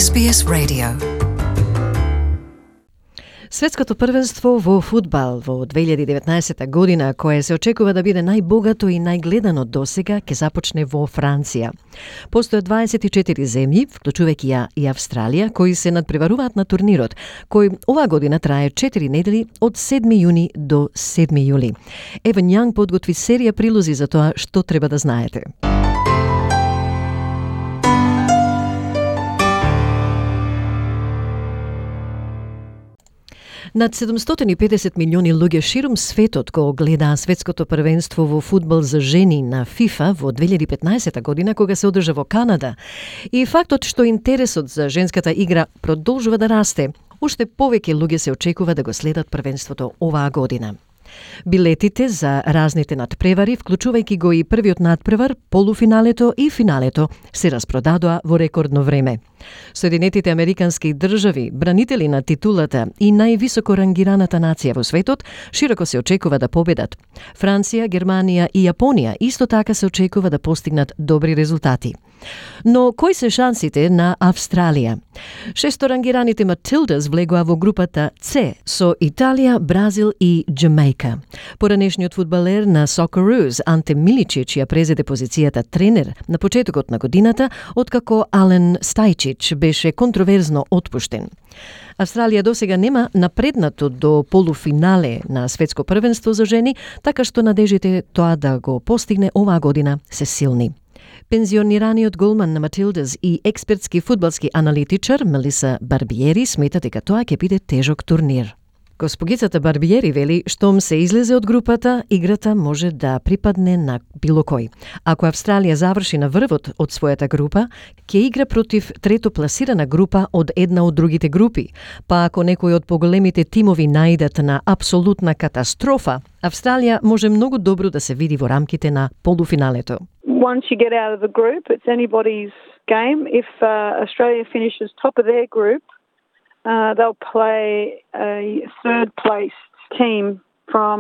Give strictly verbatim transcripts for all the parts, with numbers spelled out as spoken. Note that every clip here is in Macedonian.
Ес Би Ес Radio. Светското првенство во фудбал во две илјади и деветнаесетта година, кое се очекува да биде најбогато и најгледано досега, ќе започне во Франција. Постојат дваесет и четири земји, вклучувајќи ја и Австралија, кои се надпреваруваат на турнирот, кој оваа година трае четири недели од седми јуни до седми јули. Еван Јанг подготви серија прилози за тоа што треба да знаете. Над седумстотини и педесет милиони луѓе ширум светот го гледаа светското првенство во фудбал за жени на ФИФА во две илјади и петнаесетта година, кога се одржа во Канада. И фактот што интересот за женската игра продолжува да расте, уште повеќе луѓе се очекува да го следат првенството оваа година. Билетите за разните надпревари, вклучувајќи го и првиот надпревар, полуфиналето и финалето, се распродадоа во рекордно време. Соединетите американски држави, бранители на титулата и највисоко рангираната нација во светот, широко се очекува да победат. Франција, Германија и Јапонија исто така се очекува да постигнат добри резултати. Но кои се шансите на Австралија? Шесто рангираните Матилдас влегоа во групата С со Италија, Бразил и Џамајка. Поранешниот фудбалер на Сокероос Анте Миличич ја презеде позицијата тренер на почетокот на годината, откако Ален Стајчич беше контроверзно отпуштен. Австралија досега нема напреднато до полуфинале на светско првенство за жени, така што надежите тоа да го постигне оваа година се силни. Пензионираниот голман на Матилдас и експертски фудбалски аналитичар Мелиса Барбиери смета дека тоа ќе биде тежок турнир. Госпогицата Барбиери вели, штом се излезе од групата, играта може да припадне на било кој. Ако Австралија заврши на врвот од својата група, ќе игра против трето пласирана група од една од другите групи. Па ако некој од поголемите тимови наидат на апсолутна катастрофа, Австралија може многу добро да се види во рамките на полуфиналето. Once you get out of the group, it's anybody's game. If uh, Australia finishes top of their group, Uh, they'll play a third-placed team from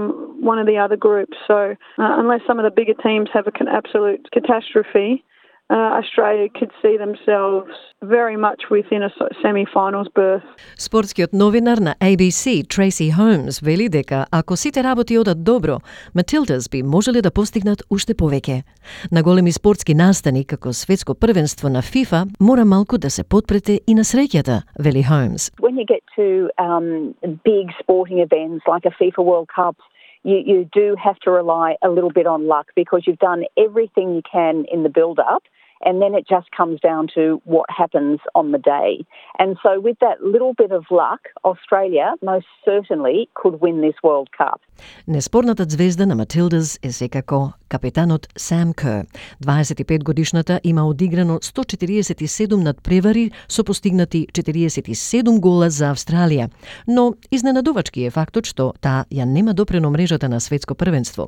one of the other groups. So uh, unless some of the bigger teams have an absolute catastrophe, uh, Australia could see themselves very much within a semi-finals berth. Спортскиот новинар на A B C, Tracy Holmes, вели дека ако сите работи одат добро, Матилдас би можеле да постигнат уште повеќе. На големи спортски настани, како светско првенство на ФИФА, мора малку да се потпрете и на среќата, вели Holmes. When you get to um, big sporting events like a FIFA World Cup, you, you do have to rely a little bit on luck because you've done everything you can in the build-up, and then it just comes down to what happens on the day. And so with that little bit of luck, Australia most certainly could win this World Cup. Неспорната звезда на Матилдас е секако капетанот Сам Кер. дваесет и пет годишната има одиграно сто четириесет и седум надпревари со постигнати четириесет и седум гола за Австралија. Но изненадувачки е фактот што таа ја нема допрено мрежата на светско првенство.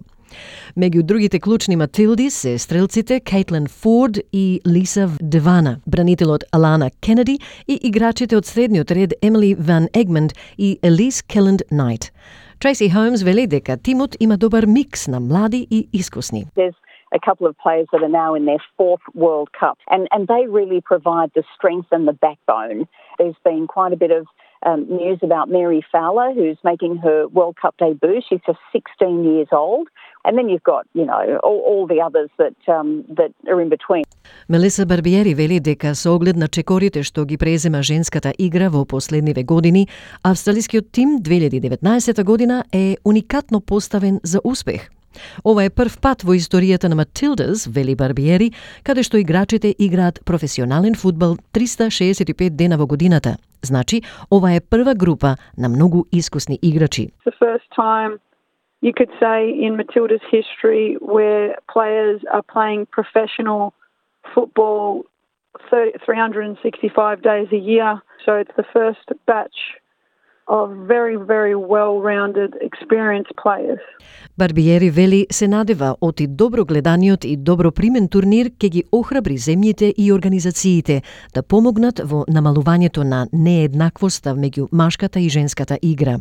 Меѓу другите клучни Матилди се стрелците Кейтлин Форд и Лиса Девана, бранителот Алана Кенеди и играчите од средниот ред Емили Ван Егмонд и Елис Келленд Найт. Tracy Holmes вели дека тимот има добар микс на млади и искусни. There's a couple of players that are now in their fourth World Cup, and, and they really provide the strength and the backbone. There's been quite a bit of um, news about Mary Fowler, who's making her World Cup debut. She's just sixteen years old. And then you've got, you know, all, all the others that um, that are in between. Мелиса Барбиери вели дека со оглед на чекорите што ги презема женската игра во последниве години, австралискиот тим две илјади и деветнаесетта година е уникатно поставен за успех. Ова е прв пат во историјата на Матилдас, вели Барбиери, каде што играчите играат професионален фудбал триста шеесет и пет дена во годината. Значи, ова е прва група на многу искусни играчи. The first time you could say in Matilda's history where players are playing professional football three hundred sixty-five days a year. So it's the first batch of very, very well-rounded, experienced players. Барбиери вели се надева од и добро гледаниот и добро примен турнир ќе ги охрабри земјите и организациите да помогнат во намалувањето на нееднаквоста меѓу машката и женската игра.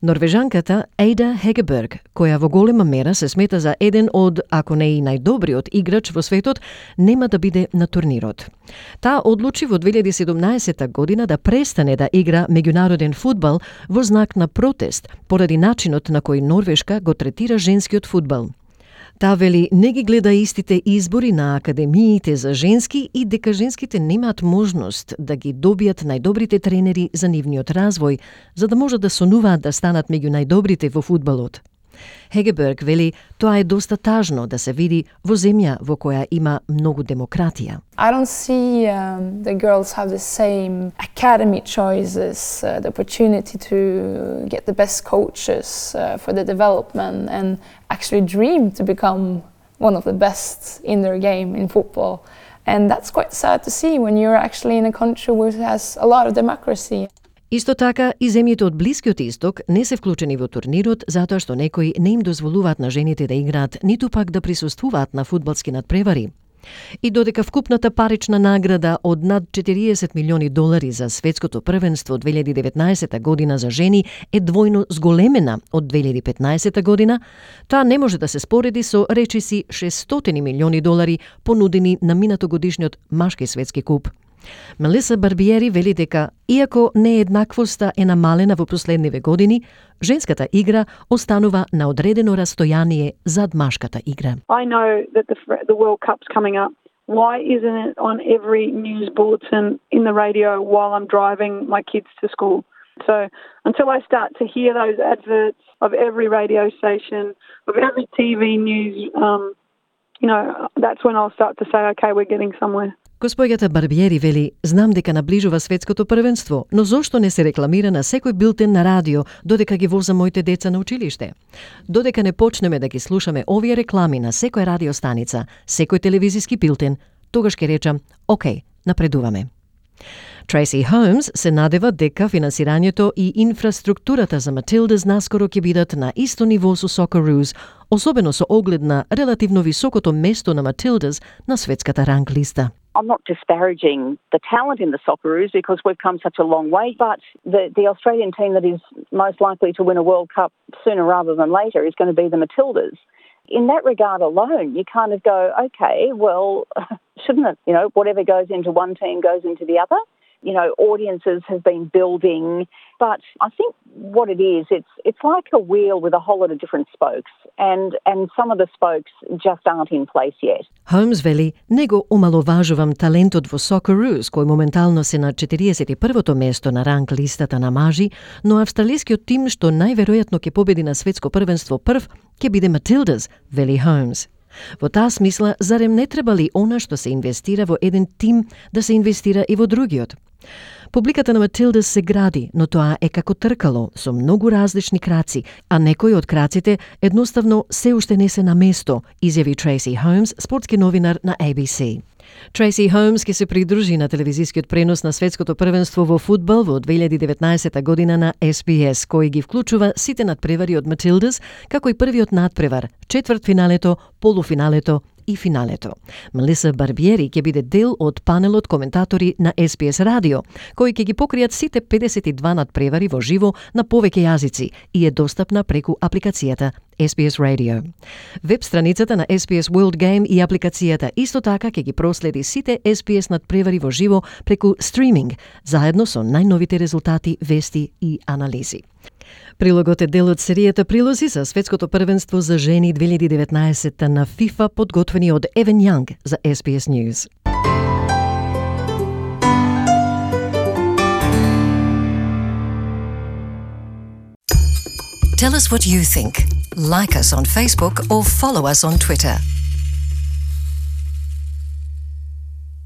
Норвежанката Ейда Хегеберг, која во голема мера се смета за еден од, ако не и најдобриот играч во светот, нема да биде на турнирот. Таа одлучи во две илјади и седумнаесета година да престане да игра меѓународен фудбал во знак на протест поради начинот на кој Норвешка го третира женскиот фудбал. Таа вели не ги гледа истите избори на академиите за женски и дека женските немаат можност да ги добијат најдобрите тренери за нивниот развој, за да можат да сонуваат да станат меѓу најдобрите во фудбалот. Хегеберг вели тоа е доста тажно да се види во земја во која има многу демократија. I don't see um, the girls have the same academy choices, uh, the opportunity to get the best coaches uh, for the development and actually dream to become one of the best in their game in football. And that's quite sad to see when you're actually in a country which has a lot of democracy. Исто така, и земјите од Блискиот Исток не се вклучени во турнирот затоа што некои не им дозволуваат на жените да играат, ниту пак да присуствуваат на фудбалски надпревари. И додека вкупната парична награда од над четириесет милиони долари за светското првенство две илјади и деветнаесета година за жени е двојно зголемена од две илјади и петнаесета година, таа не може да се спореди со речиси шестстотини милиони долари понудени на минатогодишниот машки светски куп. Мелиса Барбиери вели дека, иако нееднаквоста е намалена во последниве години, женската игра останува на одредено растојание зад машката игра. I know that the, the World Cup's coming up. Why isn't it on every news bulletin in the radio while I'm driving my kids to school? So until I start to hear those adverts of every radio station, of every T V news, um, you know, that's when I'll start to say, okay, we're getting somewhere. Госпоѓата Барбиери вели, знам дека наближува светското првенство, но зошто не се рекламира на секој билтен на радио додека ги возам моите деца на училиште? Додека не почнеме да ги слушаме овие реклами на секоја радиостаница, секој телевизиски билтен, тогаш ќе речам, окей, напредуваме. Трейси Холмс се надева дека финансирањето и инфраструктурата за Матилдас наскоро ќе бидат на исто ниво со Socceroos, особено со оглед на релативно високото место на Матилдас на светската ранг листа. I'm not disparaging the talent in the Socceroos because we've come such a long way, but the, the Australian team that is most likely to win a World Cup sooner rather than later is going to be the Matildas. In that regard alone, you kind of go, okay, well, shouldn't it, you know, whatever goes into one team goes into the other? You know, audiences have been building, but I think what it is, it's it's like a wheel with a whole lot of different spokes, and and some of the spokes just aren't in place yet. Холмс вели, не го омаловажувам талентот во Socceroos, кој моментално се на четириесет и првото место на ранг листата на мажи, но австралискиот тим што најверојатно ќе победи на светско првенство прв, ќе биде Матилдас, вели Холмс. Во таа смисла, зарем не треба ли она што се инвестира во еден тим да се инвестира и во другиот? Публиката на Матилдас се гради, но тоа е како тркало, со многу различни краци, а некои од краците едноставно се уште не се на место, изјави Трейси Холмс, спортски новинар на A B C. Трейси Холмс ќе се придружи на телевизискиот пренос на светското првенство во фудбал во две илјади и деветнаесета година на S B S, кој ги вклучува сите надпревари од Матилдас, како и првиот надпревар, четвртфиналето, полуфиналето и финалето. Мелиса Барбиери ќе биде дел од панелот коментатори на S B S радио, кои ќе ги покријат сите педесет и два надпревари во живо на повеќе јазици и е достапна преку апликацијата S B S Radio. Веб страницата на S B S World Game и апликацијата исто така ќе ги проследи сите S B S надпревари во живо преку стриминг, заедно со најновите резултати, вести и анализи. Прилогот е дел од серијата прилози за светското првенство за жени две илјади и деветнаесета на FIFA, подготвени од Евен Јанг за S B S News. Tell us what you think. Like us on Facebook or follow us on Twitter.